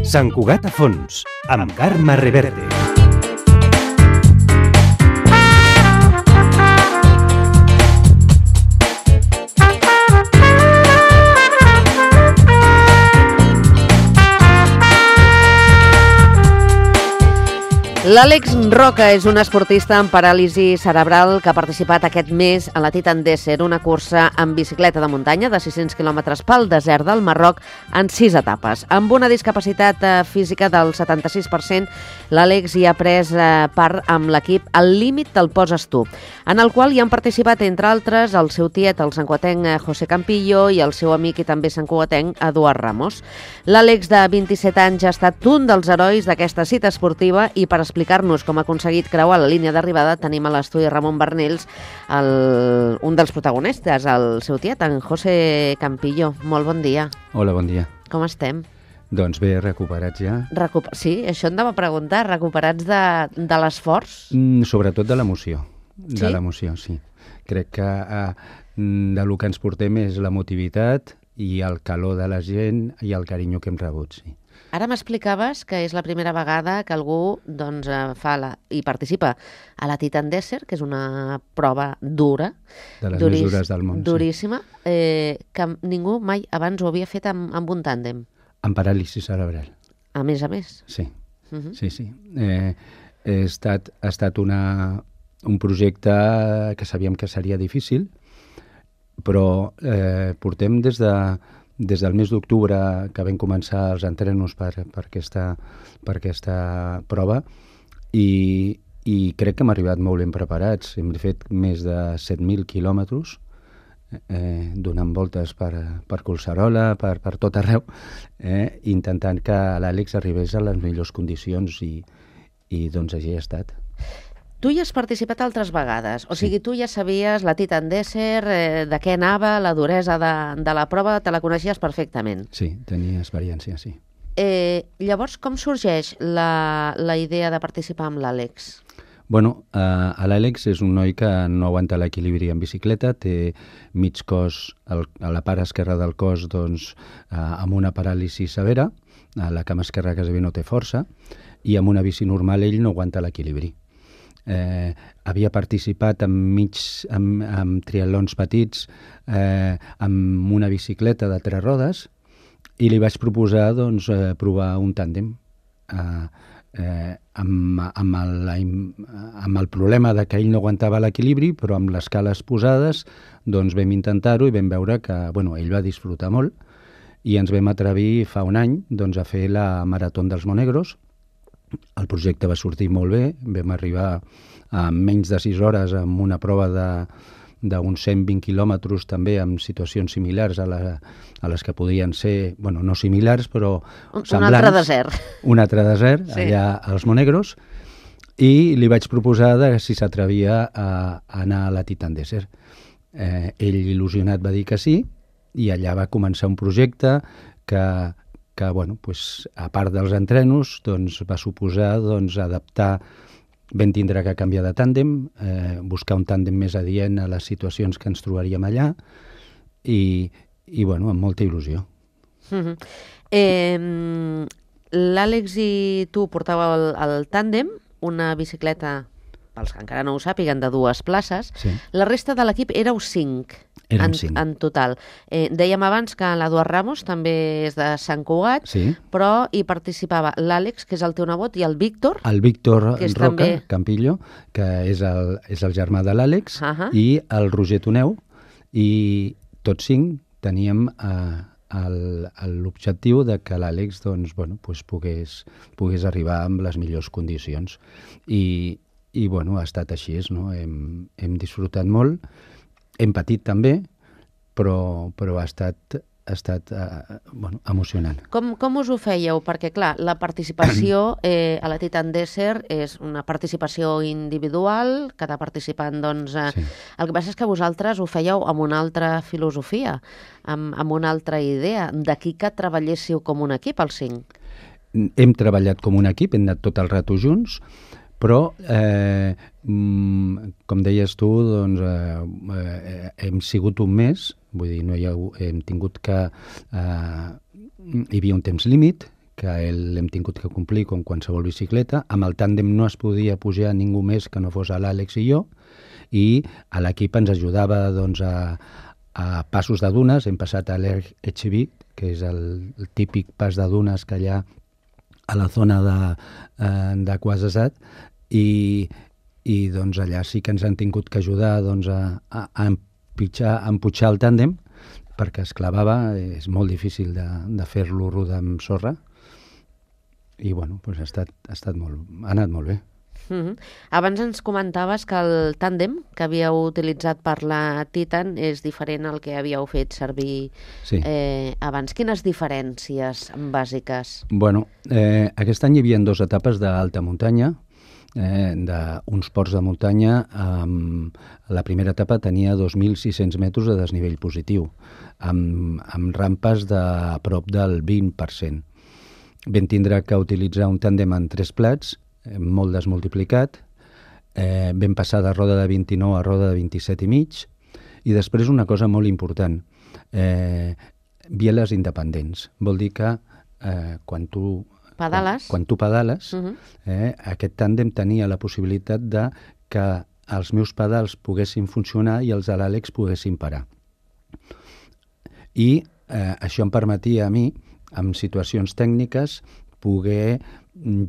Sant Cugat a fons, amb Carme Reverte. L'Àlex Roca és un esportista amb paràlisi cerebral que ha participat aquest mes a la Titan Desert, una cursa en bicicleta de muntanya de 600 quilòmetres pel desert del Marroc en 6 etapes. Amb una discapacitat física del 76%, l'Àlex hi ha pres part amb l'equip Al límit te'l poses tu, en el qual hi han participat, entre altres, el seu tiet, el santcugatenc José Campillo, i el seu amic i també santcugatenc Eduard Ramos. L'Àlex, de 27 anys, ha estat un dels herois d'aquesta cita esportiva i per explicar-nos com ha aconseguit creuar la línia d'arribada tenim a l'estudi Ramon Bernils, un dels protagonistes, el seu tiet, en José Campillo. Molt bon dia. Hola, bon dia. Com estem? Doncs bé, recuperats ja. Sí, això em anava a preguntar, recuperats de l'esforç? Sobretot de l'emoció. Sí? De l'emoció, sí. Crec que del que ens portem és l'emotivitat i el calor de la gent i el carinyo que hem rebut, sí. Ara m'explicaves que és la primera vegada que algú i participa a la Titan Desert, que és una prova dura. De les més dures del món, duríssima, que ningú mai abans ho havia fet amb un tàndem. Amb paràlisi cerebral. A més. Sí, sí. Ha estat un projecte que sabíem que seria difícil, però portem des del mes d'octubre que vam començar els entrenos per aquesta prova i crec que hem arribat molt ben preparats. Hem fet més de 7.000 quilòmetres donant voltes per Collserola, per tot arreu, intentant que l'Àlex arribés a les millors condicions i doncs així ha estat. Tu hi has participat altres vegades, o sigui, tu ja sabies la Titan Desert, de què anava, la duresa de la prova, te la coneixies perfectament. Sí, tenia experiència, sí. Llavors, com sorgeix la idea de participar amb l'Àlex? Bueno, l'Àlex és un noi que no aguanta l'equilibri en bicicleta, té mig cos, a la part esquerra del cos, doncs, amb una paràlisi severa, a la cama esquerra quasi no té força, i amb una bici normal ell no aguanta l'equilibri. Havia participat en triatlons petits amb una bicicleta de 3 rodes i li vaig proposar provar un tàndem amb el problema de que ell no aguantava l'equilibri, però amb les cales posades vam intentar-ho i vam veure que ell va disfrutar molt i ens vam atrevir fa un any a fer la Marató dels Monegros. El projecte va sortir molt bé, vam arribar a menys de 6 hores amb una prova d'uns 120 quilòmetres també amb situacions similars a les que podien ser, no similars, però semblants. Un altre desert. Un altre desert, sí. Allà als Monegros, i li vaig proposar si s'atrevia a anar a la Titan Desert. Ell, il·lusionat, va dir que sí, i allà va començar un projecte que a part dels entrenos, va suposar adaptar, vam tindre que canviar de tàndem, buscar un tàndem més adient a les situacions que ens trobaríem allà i amb molta il·lusió. L'Àlex i tu portàveu el tàndem, una bicicleta, pels que encara no ho sàpiguen, de 2 places. Sí. La resta de l'equip éreu 5. En total. Dèiem abans que l'Eduard Ramos també és de Sant Cugat, sí. Però hi participava l'Àlex, que és el teu nebot, i el Víctor. El Víctor Roca, també... Campillo, que és el germà de l'Àlex, i el Roger Toneu, i tots 5 teníem l'objectiu de que l'Àlex pogués arribar amb les millors condicions. I ha estat així, no? Hem disfrutat molt. Hem patit també, però ha estat emocionant. Com us ho fèieu? Perquè, clar, la participació a la Titan Desert és una participació individual, cada participant, sí. El que passa és que vosaltres ho fèieu amb una altra filosofia, amb una altra idea. D'aquí que treballéssiu com un equip, els 5. Hem treballat com un equip, hem anat tot el rato junts, però, com deies tu, hem sigut un mes, vull dir, hem tingut que... hi havia un temps límit, l'hem tingut que complir com qualsevol bicicleta. Amb el tàndem no es podia pujar ningú més que no fos l'Àlex i jo, i a l'equip ens ajudava doncs, a passos de dunes. Hem passat a l'Echeví, que és el típic pas de dunes que hi ha a la zona de Quasasat, i doncs allà sí que ens han tingut que ajudar doncs, a empujar el tàndem, perquè es clavava, és molt difícil de fer-lo rodar amb sorra, i bueno, doncs ha anat molt bé. Abans ens comentaves que el tàndem que havíeu utilitzat per la Titan és diferent al que havíeu fet servir abans. Quines diferències bàsiques? Bueno, aquest any hi havia 2 etapes d'alta muntanya, d'uns ports de muntanya. La primera etapa tenia 2.600 metres de desnivell positiu, amb rampes de prop del 20%. Vam tindre que utilitzar un tàndem en 3 plats, molt desmultiplicat. Vam passar de roda de 29 a roda de 27,5, i després una cosa molt important, bieles independents. Vol dir que quan tu pedales, aquest tàndem tenia la possibilitat de que els meus pedals poguessin funcionar i els de l'Àlex poguessin parar. I això em permetia a mi, en situacions tècniques, poder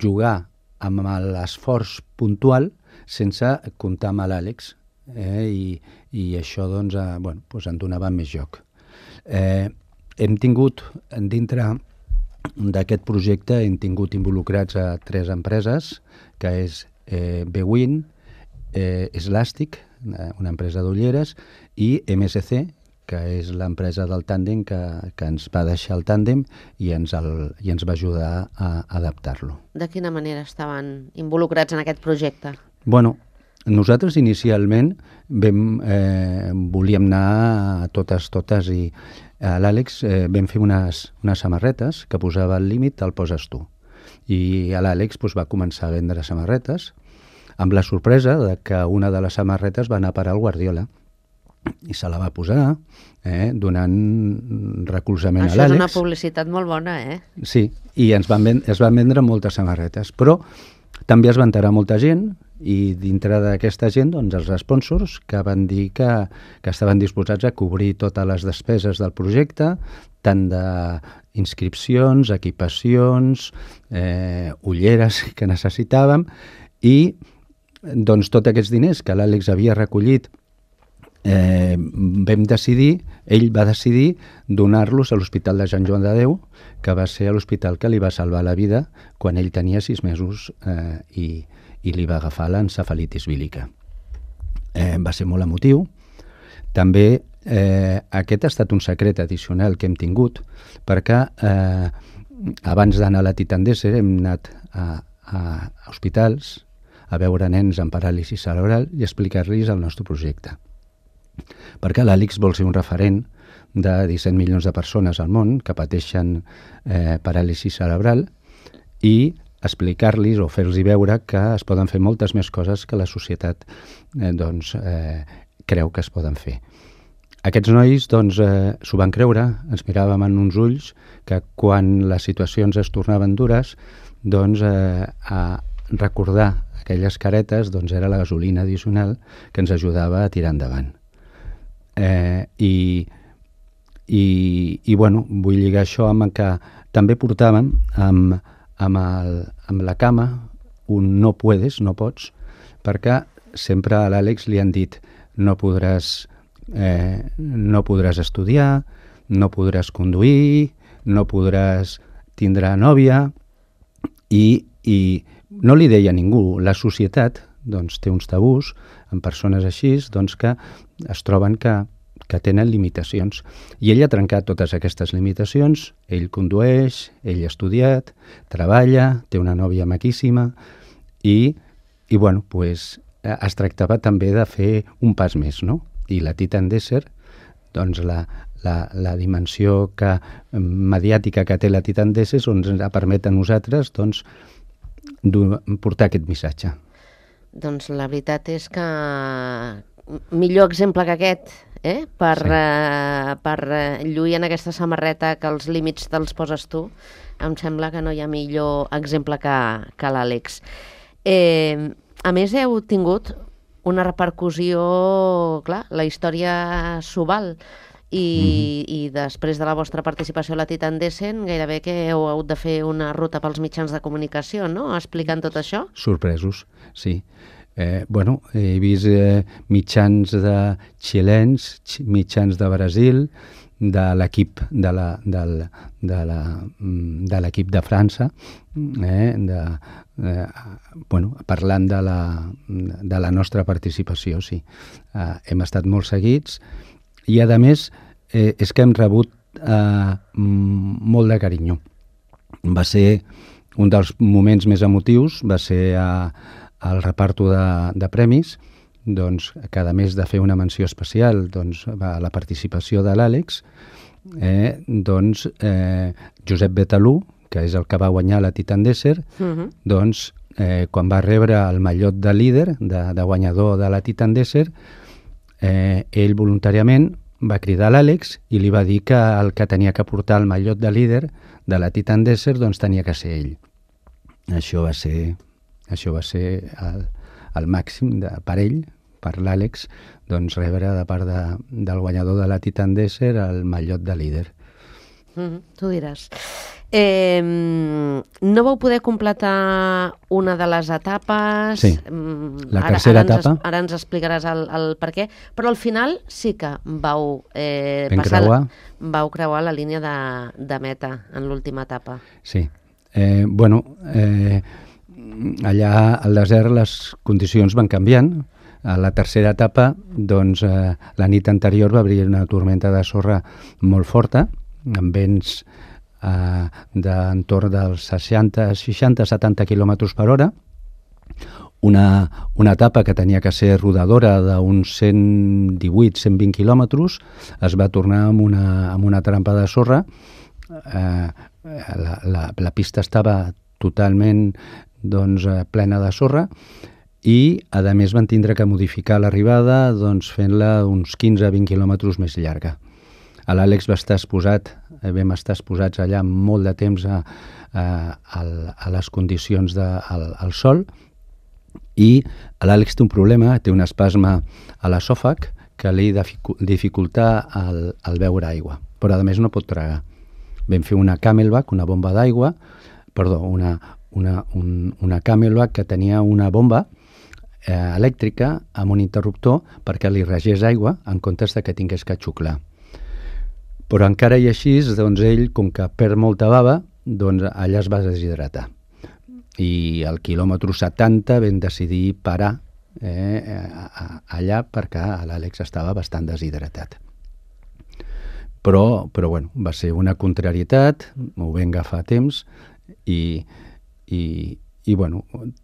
jugar amb l'esforç puntual sense comptar amb l'Àlex, i això doncs, em donava més joc. Hem tingut, dintre d'aquest projecte, hem tingut involucrats a 3 empreses, que és Bwin, Slastic, una empresa d'ulleres, i MSC, que és l'empresa del tàndem que ens va deixar el tàndem i ens va ajudar a adaptar-lo. De quina manera estaven involucrats en aquest projecte? Bueno, nosaltres inicialment volíem anar a totes, i a l'Àlex vam fer unes samarretes que posava al límit, el poses tu. I l'Àlex va començar a vendre samarretes, amb la sorpresa de que una de les samarretes va anar a parar al Guardiola, i se la va posar, donant recolzament a l'Àlex. Això és una publicitat molt bona, Sí, i es van vendre moltes samarretes, però també es va enterar molta gent, i dintre d'aquesta gent, doncs, els sponsors que van dir que estaven disposats a cobrir totes les despeses del projecte, tant d'inscripcions, equipacions, ulleres que necessitàvem, i doncs tots aquests diners que l'Àlex havia recollit, ell va decidir donar-los a l'Hospital de Sant Joan de Déu, que va ser l'hospital que li va salvar la vida quan ell tenia 6 mesos i li va agafar l'encefalitis vírica. Va ser molt emotiu. També aquest ha estat un secret addicional que hem tingut, perquè abans d'anar a la Titan Desert hem anat a hospitals a veure nens amb paràlisi cerebral i explicar-los el nostre projecte. Perquè l'Àlex vol ser un referent de 17 milions de persones al món que pateixen paràlisi cerebral, i explicar-los o fer-los veure que es poden fer moltes més coses que la societat creu que es poden fer. Aquests nois s'ho van creure, ens miràvem en uns ulls que quan les situacions es tornaven dures, a recordar aquelles caretes era la gasolina addicional que ens ajudava a tirar endavant. Vull lligar això amb que també portàvem amb la cama un no puedes, no pots, perquè sempre a l'Àlex li han dit no podràs estudiar, no podràs conduir, no podràs tindre nòvia, i no li deia a ningú. La societat té uns tabús amb persones així que es troben que tenen limitacions. I ell ha trencat totes aquestes limitacions. Ell condueix, ell ha estudiat, treballa, té una nòvia maquíssima, i es tractava també de fer un pas més, no? I la Titan Desert, la dimensió mediàtica que té la Titan Desert ens permet a nosaltres portar aquest missatge. Doncs la veritat és que millor exemple que aquest, per lluir en aquesta samarreta que els límits te'ls poses tu, em sembla que no hi ha millor exemple que l'Àlex. A més, heu tingut una repercussió, clar, la història s'ho val, i després de la vostra participació a la Titan Descent, gairebé que heu hagut de fer una ruta pels mitjans de comunicació, no?, explicant tot això. Sorpresos, sí. He vist mitjans de xilens, mitjans de Brasil, de l'equip de l'equip de França, parlant de la nostra participació, sí. Hem estat molt seguits i, a més, és que hem rebut molt de carinyo. Va ser un dels moments més emotius, va ser el reparto de premis, doncs, que a més de fer una menció especial, doncs, la participació de l'Àlex, Josep Betalú, que és el que va guanyar la Titan Desert, doncs, quan va rebre el mallot de líder, de guanyador de la Titan Desert, ell voluntàriament va cridar l'Àlex i li va dir que el que tenia que portar el mallot de líder de la Titan Desert doncs tenia que ser ell. Això va ser el màxim per ell, per l'Àlex, doncs rebre de part del guanyador de la Titan Desert el mallot de líder. Tu diràs. No vau poder completar una de les etapes. Sí, la tercera etapa. Ara ens explicaràs el per què, però al final sí que vau creuar la línia de meta en l'última etapa. Sí. Allà al desert les condicions van canviant. A la tercera etapa, doncs, la nit anterior va haver una tormenta de sorra molt forta, amb vents d'entorn dels 60-70 km per hora. Una etapa que tenia que ser rodadora d'uns 118-120 quilòmetres es va tornar amb una trampa de sorra. La pista estava totalment plena de sorra i, a més, van tindre que modificar l'arribada fent-la uns 15-20 quilòmetres més llarga. L'Àlex vam estar exposats allà molt de temps a les condicions del sol, i l'Àlex té un problema, té un espasme a l'esòfag que li dificulta el beure aigua, però a més no pot tragar. Vam fer una Camelback, una bomba d'aigua, una Camelback que tenia una bomba elèctrica amb un interruptor perquè li regés aigua en comptes que tingués que xuclar. Però encara i així, ell, com que perd molta bava, allà es va deshidratar. I al quilòmetre 70 vam decidir parar allà perquè l'Àlex estava bastant deshidratat. Però va ser una contrarietat, m'ho vam agafar a temps i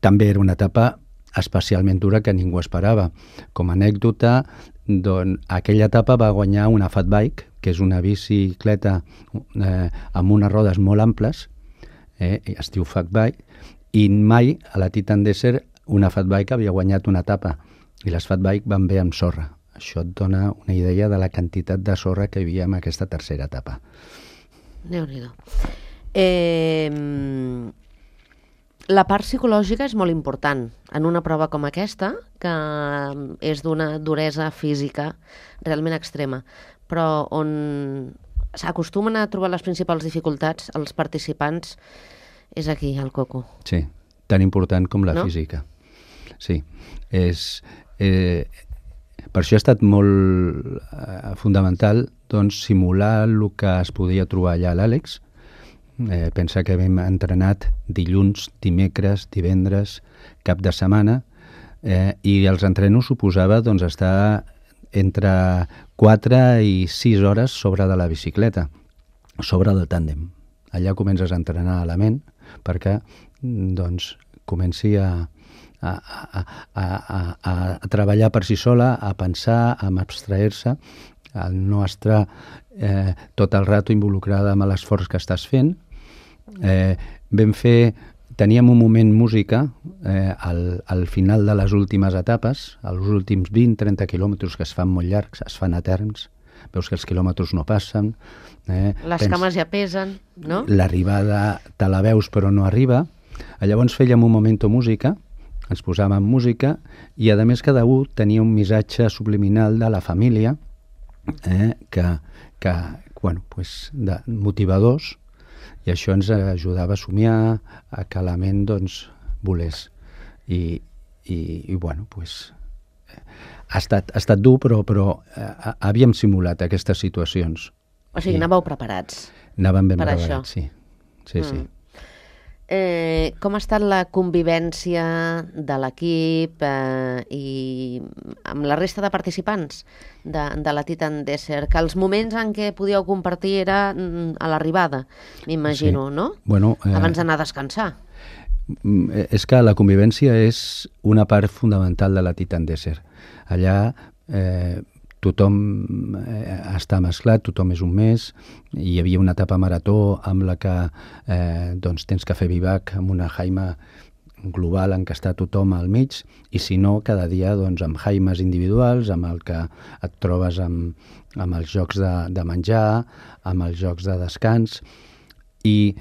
també era una etapa especialment dura que ningú esperava. Com a anècdota, aquella etapa va guanyar una fat bike, que és una bicicleta amb unes rodes molt amples, es diu fat bike, i mai a la Titan Desert una fat bike havia guanyat una etapa, i les fat bike van bé amb sorra. Això et dona una idea de la quantitat de sorra que hi havia en aquesta tercera etapa. Déu-n'hi-do. La part psicològica és molt important en una prova com aquesta, que és d'una duresa física realment extrema, però on s'acostumen a trobar les principals dificultats els participants és aquí, al coco. Sí, tan important com la física. Sí, per això ha estat molt fundamental simular el que es podia trobar allà a l'Àlex. Pensa que hem entrenat dilluns, dimecres, divendres, cap de setmana, i els entrenos suposava estar entre 4 i 6 hores sobre de la bicicleta, sobre del tàndem. Allà comences a entrenar a la ment perquè comenci a treballar per si sola, a pensar, a abstrair-se, a no estar tot el rato involucrada amb l'esforç que estàs fent. Vam fer teníem un moment música al final de les últimes etapes, als últims 20-30 quilòmetres que es fan molt llargs, es fan eterns, veus que els quilòmetres no passen. Les cames ja pesen, no? L'arribada te la veus però no arriba. Llavors fèiem un momento música, ens posàvem música i a més cada un tenia un missatge subliminal de la família de motivadors, i això ens ajudava a somiar, a que la ment volés. I ha estat dur, però havíem simulat aquestes situacions. O sigui, anàveu preparats. Anàvem ben per preparats, això. Sí. Com ha estat la convivència de l'equip i amb la resta de participants de la Titan Desert? Que els moments en què podíeu compartir era a l'arribada, m'imagino, no? Bueno, abans d'anar a descansar. És que la convivència és una part fundamental de la Titan Desert. Allà tothom està mesclat, tothom és un mes. Hi havia una etapa marató amb la que tens que fer bivac amb una jaima global en què està tothom al mig, i si no, cada dia amb jaimes individuals, amb el que et trobes amb els jocs de menjar, amb els jocs de descans, i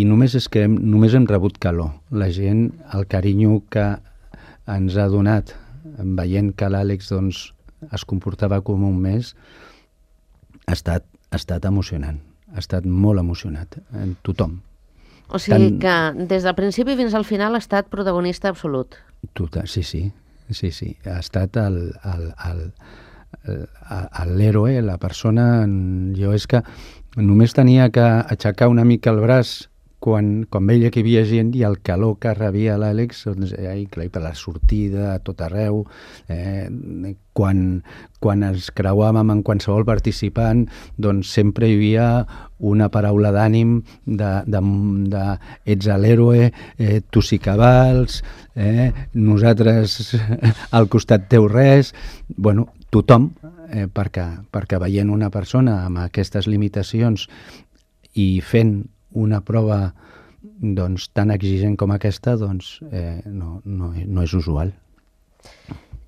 només hem rebut calor. La gent, el carinyo que ens ha donat veient que l'Àlex es comportava com un mes, ha estat emocionant, ha estat molt emocionat, tothom. O sigui que des del principi fins al final ha estat protagonista absolut. Sí. Ha estat l'héroe, la persona. Jo és que només tenia que aixecar una mica el braç quan veia que hi havia gent, i el calor que rebia l'Àlex, per la sortida, a tot arreu, quan ens creuàvem amb qualsevol participant, sempre hi havia una paraula d'ànim de ets l'héroe, tu sí que vals, nosaltres al costat teu res. Tothom, perquè veient una persona amb aquestes limitacions i fent una prova tan exigent com aquesta, no és usual.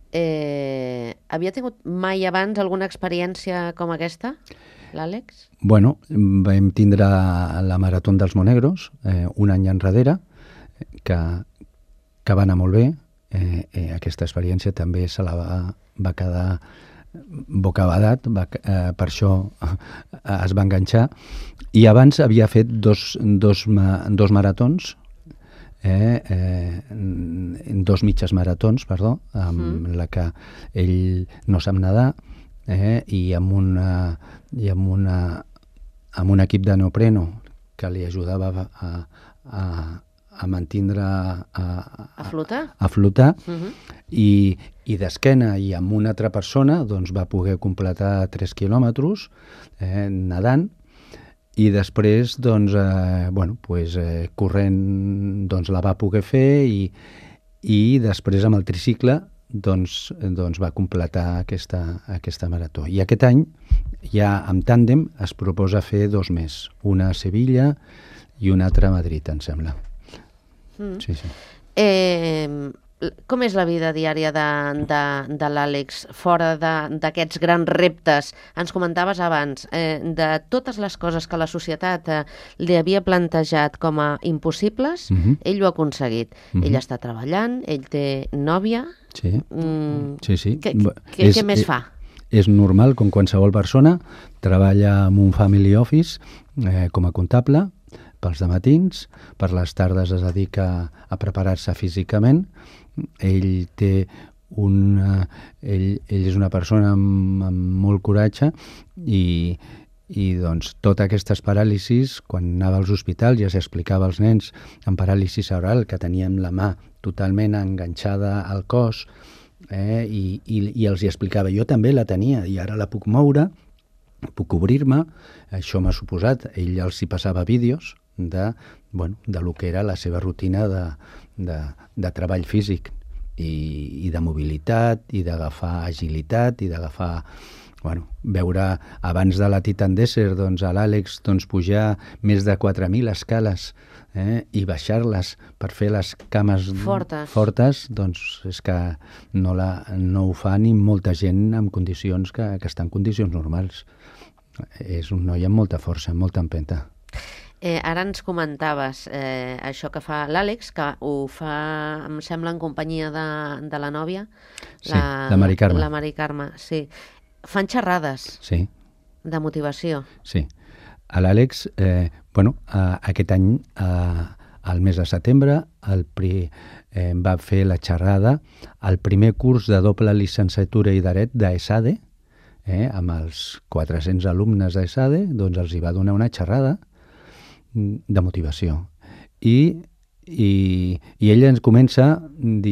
Havia tingut mai abans alguna experiència com aquesta, l'Àlex? Vam tindre la Marató dels Monegros un any enrere, que va anar molt bé. Aquesta experiència també se la va quedar bocabadat, per això es va enganxar, i abans havia fet dos maratons, dos mitges maratons, amb la que ell no sap nedar, i amb un equip de neopreno que li ajudava a mantindre a flotar, i d'esquena i amb una altra persona va poder completar 3 quilòmetres nedant, i després corrent la va poder fer, i després amb el tricicle va completar aquesta marató. I aquest any ja amb tàndem es proposa fer 2 més, una a Sevilla i una altra a Madrid, em sembla. Sí. Com és la vida diària de l'Àlex fora d'aquests grans reptes? Ens comentaves abans de totes les coses que la societat li havia plantejat com a impossibles, ell ho ha aconseguit. Ell està treballant, ell té nòvia. Sí. Què més fa? És normal, com qualsevol persona, treballa en un family office com a comptable, pels dematins, per les tardes es dedica a preparar-se físicament. Ell és una persona amb molt coratge, i totes aquestes paràlisis, quan anava als hospitals ja s'explicava als nens amb paràlisi cerebral que teníem la mà totalment enganxada al cos, i els hi explicava, jo també la tenia i ara la puc moure, puc obrir-me. Això m'ha suposat, ell els hi passava vídeos de lo que era la seva rutina de treball físic i de mobilitat, i d'agafar agilitat, i d'agafar veure abans de la Titan Desert a l'Àlex pujar més de 4.000 escales i baixar-les per fer les cames fortes, doncs és que no ho fa ni molta gent en condicions que està en condicions normals. És un noi amb molta força, amb molta empenta. Ara ens comentaves això que fa l'Àlex, que ho fa, em sembla, en companyia de la nòvia. Sí, la Mari Carme. La Mari Carme, sí. Fan xerrades de motivació. Sí. A l'Àlex, aquest any, al mes de setembre, va fer la xerrada al primer curs de doble llicenciatura i dret d'ESADE, amb els 400 alumnes d'ESADE, doncs els hi va donar una xerrada de motivació. I ella ens comença els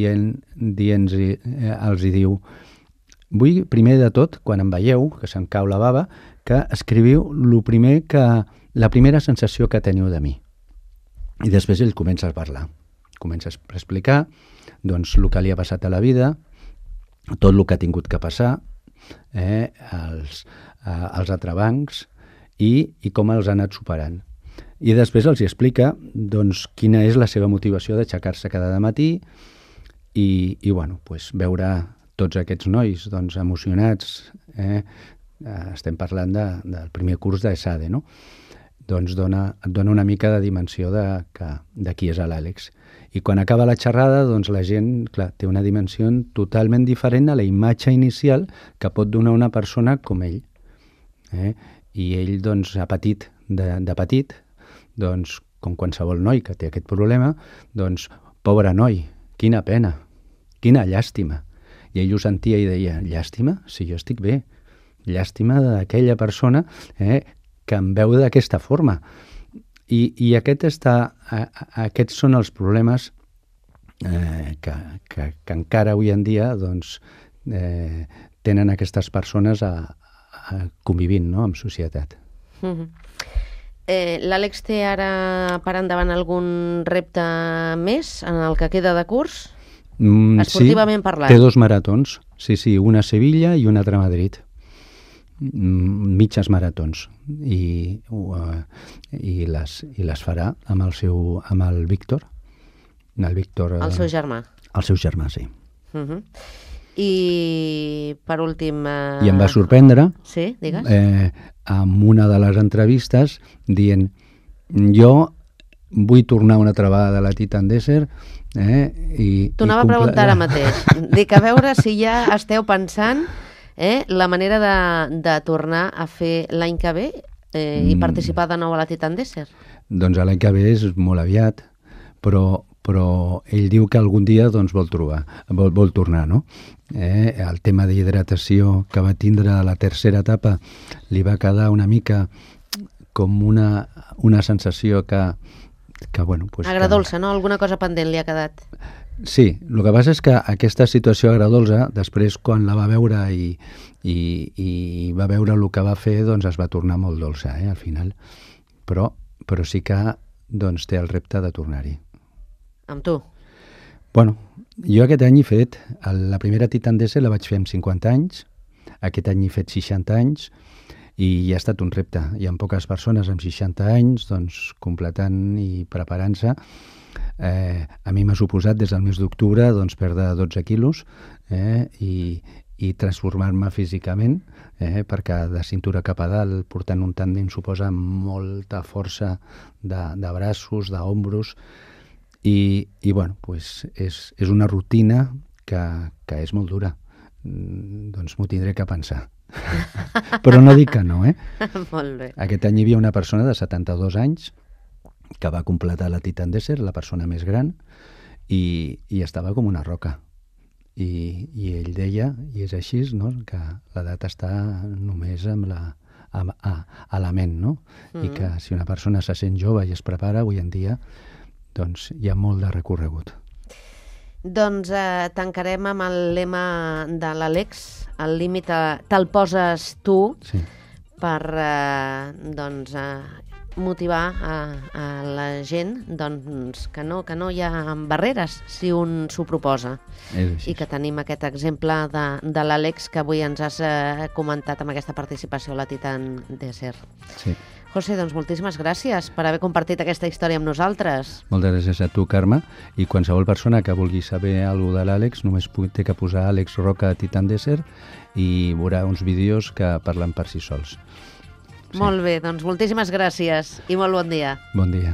hi diu: vull, primer de tot, quan em veieu, que se'm cau la bava, que escriviu la primera sensació que teniu de mi. I després ell comença a parlar. Comença a explicar el que li ha passat a la vida, tot el que ha tingut que passar, els entrebancs i com els ha anat superant. I després els explica quina és la seva motivació d'aixecar-se cada matí i veure tots aquests nois emocionats, estem parlant del primer curs d'ESADE, no? Et dona una mica de dimensió de qui és l'Àlex. I quan acaba la xerrada, la gent, clar, té una dimensió totalment diferent a la imatge inicial que pot donar una persona com ell. I ell, ha patit de petit, com qualsevol noi que té aquest problema, pobre noi, quina pena, quina llàstima. I ell ho sentia i deia: llàstima? Si jo estic bé. Llàstima d'aquella persona que em veu d'aquesta forma. I aquests són els problemes que encara avui en dia tenen aquestes persones convivint en societat. L'Àlex té ara per endavant algun repte més en el que queda de curs? Esportivament parlant. Té 2 maratons, sí, una a Sevilla i una altra a Madrid. Mitges maratons. I les farà amb el Víctor. El seu germà. El seu germà, sí. I per últim... I em va sorprendre, sí, digues. amb una de les entrevistes dient: jo vull tornar una altra vegada a la Titan Desert. T'ho anava a preguntar ara mateix. Dic, a veure si ja esteu pensant la manera de tornar a fer l'any que ve i participar de nou a la Titan Desert. Doncs l'any que ve és molt aviat, però ell diu que algun dia vol tornar, no? El tema d'hidratació que va tindre a la tercera etapa li va quedar una mica com una sensació que agradolça, no? Alguna cosa pendent li ha quedat. Sí, el que passa és que aquesta situació agradolça, després quan la va veure i va veure el que va fer, es va tornar molt dolça, al final. Però sí que té el repte de tornar-hi. Amb tu? Bueno, jo aquest any he fet, la primera Titan Desert la vaig fer amb 50 anys, aquest any he fet 60 anys, i ha estat un repte. Hi ha poques persones amb 60 anys completant i preparant-se. A mi m'ha suposat des del mes d'octubre perdre 12 quilos i transformar-me físicament, perquè de cintura cap a dalt portant un tàndem suposa molta força de braços, d'ombros, i és una rutina que és molt dura. M'ho tindré que pensar. Però no dic que no, Molt bé. Aquest any hi havia una persona de 72 anys que va completar la Titan Desert, la persona més gran, i estava com una roca. I ell deia, i és així, no?, que l'edat està només a la ment, no? I que si una persona se sent jove i es prepara, avui en dia, hi ha molt de recorregut. Doncs tancarem amb el lema de l'Àlex, el límit te'l poses tu, per motivar a la gent doncs, que no hi ha barreres si un s'ho proposa. I que tenim aquest exemple de l'Àlex que avui ens has comentat amb aquesta participació a la Titan Desert. Sí. José, doncs moltíssimes gràcies per haver compartit aquesta història amb nosaltres. Moltes gràcies a tu, Carme, i qualsevol persona que vulgui saber alguna cosa de l'Àlex només té que posar Àlex Roca Titan Desert i veurà uns vídeos que parlen per si sols. Sí. Molt bé, doncs moltíssimes gràcies i molt bon dia. Bon dia.